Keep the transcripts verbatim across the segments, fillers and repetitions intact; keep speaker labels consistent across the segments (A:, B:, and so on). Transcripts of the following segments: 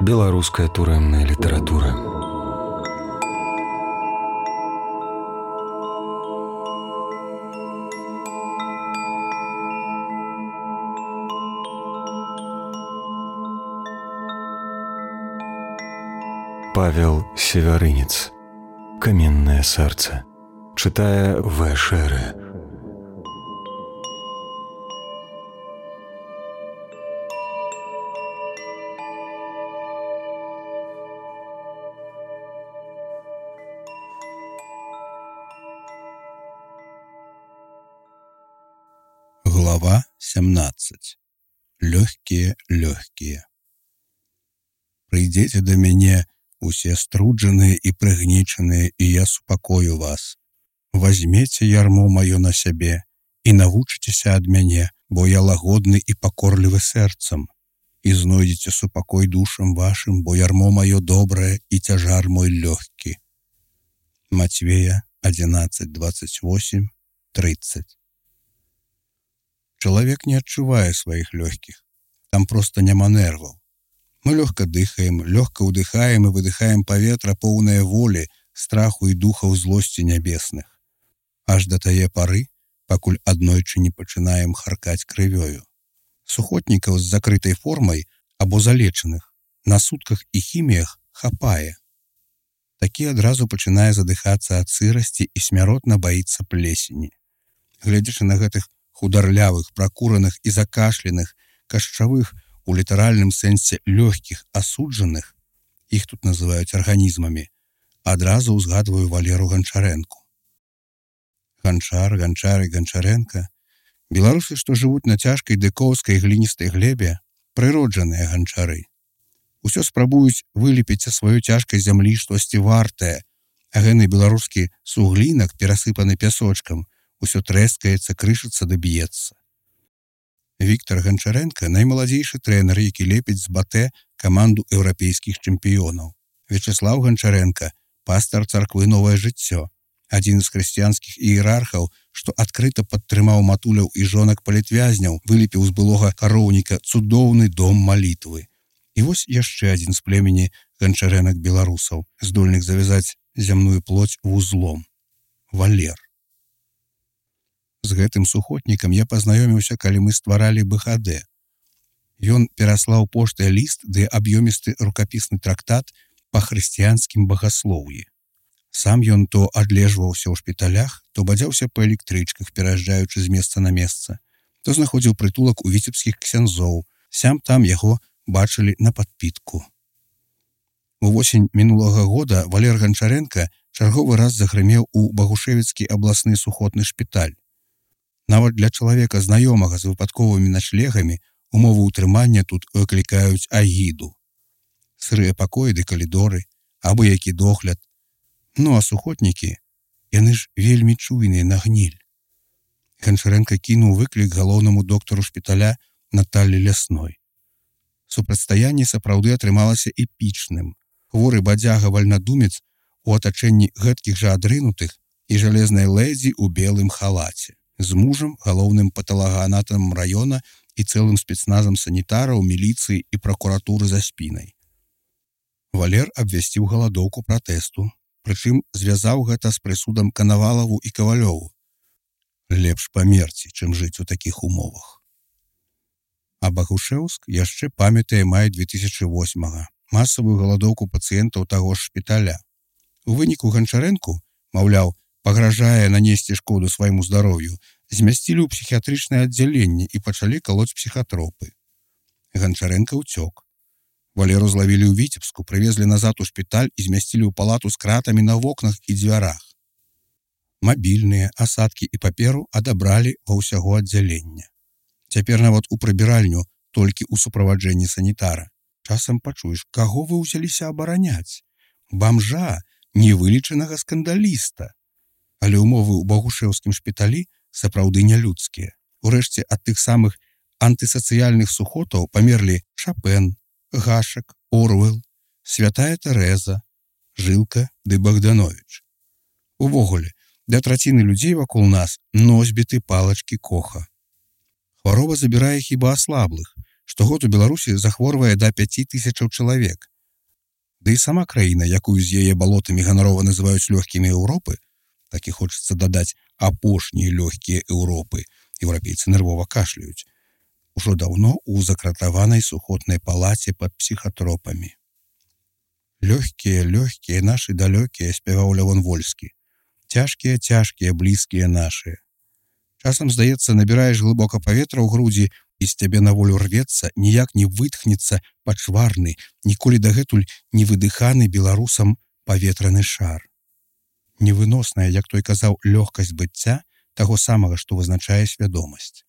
A: Беларуская турэмная літаратура. Павел Севярынец. Каменное сердце. Читая В. Шеры.
B: Глава семнадцать. Лёгкие, лёгкие. Прыйдзеце да мяне усе струджаныя і прыгнечаныя, і я супакою вас. Возьмеце ярмо маё на сябе і навучыцеся ад мяне, бо я лагодны і пакорлівы сэрцам. І знойдзеце супакой душам вашым, бо ярмо маё добрае і цяжар мой лёгкі. Матвея одиннадцать двадцать восемь тридцать. Чалавек не адчувае сваіх лёгкіх. Там проста няма нерваў. Мы лёгка дыхаем, лёгка ўдыхаем і выдыхаем паветра, поўнае волі, страху і духаў злосці нябесных. Аж да тае пары, пакуль аднойчы не пачынаем харкаць крывёю. Сухотнікаў з закрытай формай або залечаных на сутках і хіміях хапае. Такі адразу пачынае задыхацца ад сырасці і смяротна баіцца плесені. Гледзячы на гэтых хударлявых, пракураных і закашленых, кашчавых, у літаральным сэнсе лёгкіх асуджаных, іх тут называюць арганізмамі, адразу ўзгадваю Валеру Ганчарэнку. Ганчар, Ганчар і Ганчарэнка – беларусы, што жывуць на цяжкай дэкоўскай гліністай глебе, прыроджаныя ганчары. Усё спрабуюць вылепіць са сваёй цяжкай зямлі штосьці вартае, а гэны беларускі суглінак, перасыпаны пясочкам, усё трэскаецца, крышыцца да б'ецца. Віктор Ганчарэнка – наймаладзейшы трэнер, які лепіць з батэ каманду еўрапейскіх чэмпіёнаў. Вячеслав Ганчарэнка – пастар царквы «Новае жыццё», адзін з хрысціянскіх іерархаў, што адкрыта падтрымаў матуляў і жонак палітвязняў, вылепіў з былога кароўніка цудоўны дом малітвы. І вось яшчэ адзін з племені ганчарэнак беларусаў, здольных завязаць зямную плоць вузлом – Валер. З гэтым сухотнікам я пазнаёміўся, калі мы стваралі бэ ха дэ. Ён пераслаў поштай ліст ды аб'ёмісты рукапісны трактат па хрысціянскім багаслоўі. Сам ён то адлежваўся ў шпіталях, то бадзяўся па электрычках, пераязджаючы з месца на месца, то знаходзіў прытулак у віцебскіх ксяндзоў, сям-там яго бачылі на падпітку. Увосень мінулага года Валер Ганчарэнка чарговы раз загрымеў у Багушевіцкі абласны сухотны шпіталь. Нават для чалавека, знаёмага з выпадковымі начлегамі, умовы ўтрымання тут выклікаюць агіду. Сырыя пакоі ды калідоры, абы які догляд. Ну а сухотнікі, яны ж вельмі чуйныя на гніль. Ганчарэнка кінуў выклік галоўнаму доктару шпіталя Наталлі Лясной. Супрацьстаянне сапраўды атрымалася эпічным. Хворы бадзяга-вальнадумец у атачэнні гэткіх жа адрынутых і жалезнай лэдзі ў белым халаце. З мужам, галоўным паталагаанатамам раёна і цэлым спецназам санітараў, міліцыі і пракуратуры за спінай. Валер абвясціў галадоўку пратэсту, прычым звязаў гэта з прысудам Канавалаву і Кавалёву. Лепш памерці, чым жыць у такіх умовах. А Багушеўск яшчэ памятае май две тысячы восьмага, масавую галадоўку пацыентаў таго ж шпіталя. У выніку Ганчарэнку, маўляў, пагражае нанесці шкоду свайму здароўю, змясцілі ў псіхіятрычнае аддзяленне і пачалі калоць псіхатропы. Ганчарэнка ўцёк. Валеру злавілі ў Віцебску, прывезлі назад у шпіталь і змясцілі ў палату з кратамі на вокнах і дзвярах. Мабільныя, асадкі і паперу адабралі ва ўсяго аддзялення. Цяпер нават у прыбіральню толькі ў суправаджэнні санітара. Часам пачуеш, каго вы ўзяліся абараняць? Бамжа, невылечанага скандаліста. Але ўмовы ў Багушеўскім шпіталі сапраўды нялюдскія. Урэшце ад тых самых антысацыяльных сухотаў памерлі Шапен, Гашак, Орвел, Святая Тэрэза, Жылка ды Богданович. Увогуле, для траціны людзей вакол нас носьбіты палачкі Коха. Хвароба забірае хіба аслаблых, Штогод у Беларусі захворвае да пяці тысячаў чалавек. Ды і сама краіна, якую з яе балотамі ганарова называюць лёгкімі Еўропы, так і хочацца дадаць апошнія лёгкія Еўропы, еўрапейцы нервова кашляюць, ужо даўно ў закратаванай сухотнай палаце пад псіхатропамі. Лёгкія, лёгкія, нашы далёкія, спяваў Лявон Вольскі. Цяжкія, цяжкія, блізкія нашыя. Часам, здаецца, набіраеш глыбока паветра ў грудзі, і з цябе на волю рвецца, ніяк не вытхнецца пачварны, ніколі дагэтуль не выдыханы беларусам паветраны шар. Невыносная, як той казаў, лёгкасць быцця таго самага, што вызначае свядомасць.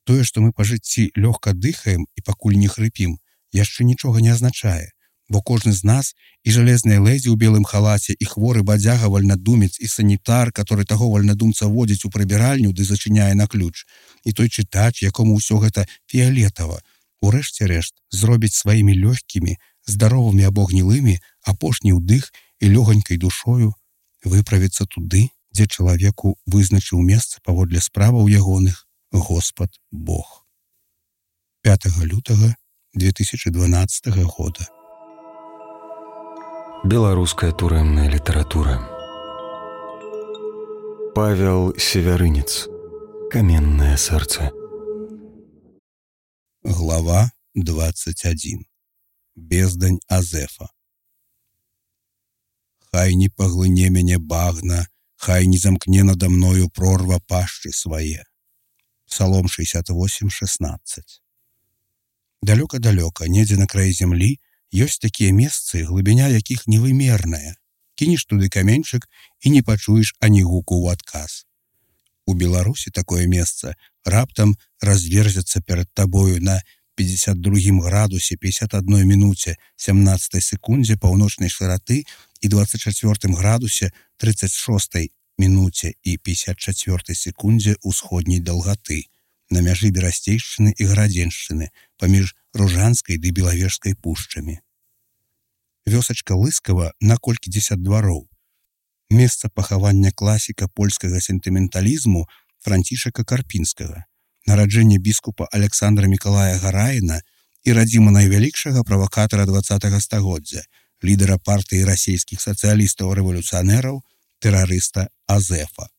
B: Тое, што мы па жыцці лёгка дыхаем і пакуль не хрыпім, яшчэ нічога не азначае, бо кожны з нас і жалезныя лэдзі ў белым халаце, і хворы бадзяга вальнадумец, і санітар, который таго вальнадумца водзіць у прыбіральню ды зачыняе на ключ, і той чытач, якому ўсё гэта фіялетава, урэшце рэшт зробіць сваімі лёгкімі, здаровымі або гнілымі апошні ўдых і лёгонькай душою выправіцца туды, дзе чалавеку вызначыў месца паводле справаў ягоных Господ Бог. пятага лютага две тысячи дванадцатага года.
A: Беларуская турэмная літаратура. Павел Севярынец. Каменное сердце.
B: Глава двадцать один. Бездань Азефа. Хай не паглыне мяне багна, хай не замкне надо мною прорва пашчы свае. Псалом шестьдесят восемь шестнадцать. Далёка-далёка, недзе на краі зямлі, ёсць такія месцы, глыбіня якіх невымерная. Кінеш туды каменьчык і не пачуеш ані гуку ў адказ. У Беларусі такое месца раптам разверзецца перад табою на пятьдесят другім градусе пятьдесят одной минуте семнадцатой секунде паўночнай шыраты і двадцать четвёртым градусе тридцать шестой минуте і пятьдесят четвёртой секунде усходняй даўгаты на мяжы Берасцейшчыны і Гарадзеншчыны паміж Ружанскай ды Белавежскай пушчамі. Вёсачка Лыскава на колькідзесят двароў. Месца пахавання класіка польскага сентыменталізму Францішака Карпінскага, нараджэнне біскупа Александра Мікалая Гараіна і радзіма найвялікшага правакатара двадцатага стагоддзя, лідара партыі расійскіх сацыялістаў-рэвалюцыянераў, тэрарыста Азефа.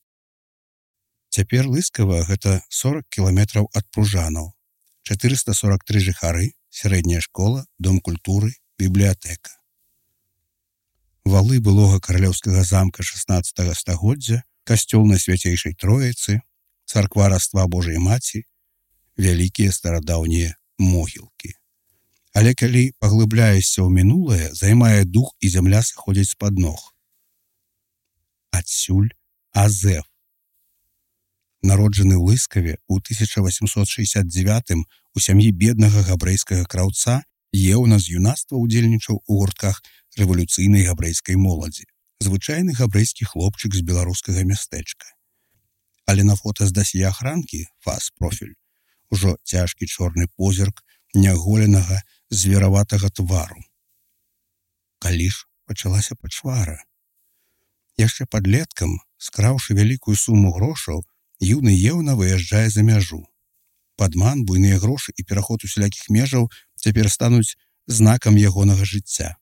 B: Цяпер Лыскава гэта сорок кіламетраў ад Пружанаў, чатырыста сорок тры жыхары, сярэдняя школа, дом культуры, бібліятэка. Валы былога каралеўскага замка шаснаццатага стагоддзя, касцёл Найсвяцейшай Троіцы, царква Раства Божай Маці, вялікія старадаўнія могілкі. Але калі паглыбляешся ў мінулае, займае дух і зямля сыходзіць з-пад ног. Адсюль Азеф. Народжаны ў Лыскаве ў тысяча восемьсот шестьдесят девятым у сям'і беднага габрэйскага краўца, еўна з юнацтва ўдзельнічаў у гуртках рэвалюцыйнай габрэйскай моладзі. Звычайны габрэйскі хлопчык з беларускага мястэчка. Але на фота з дасье ахранкі, фас-профіль, ужо цяжкі чорны позірк няголенага звераватага твару. Калі ж пачалася пачвара? Яшчэ падлеткам, скраўшы вялікую суму грошаў, юны еўна выязджае за мяжу. Падман, буйныя грошы і пераход усялякіх межаў цяпер стануць знакам ягонага жыцця.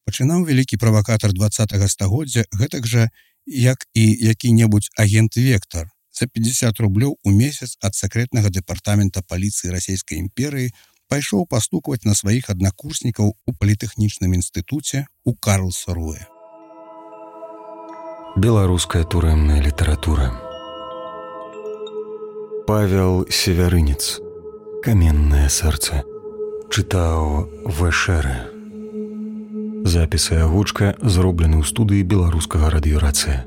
B: Пачынаў вялікі правакатар двадцатага стагоддзя гэтак жа, як і які-небудзь агент Вектар, за пятьдесят рублёў у месяц ад сакрэтнага дэпартамента паліцыі Расійскай імперыі пайшоў пастукваць на сваіх аднакурснікаў у політэхнічным інстытуце ў Карлсруэ.
A: Беларуская турэмная літаратура. Павел Севярынец. Каменное сердце. Чытаў Вэшэрэ. Запіс і агучка зроблены ў студыі беларускага радыёрацыя.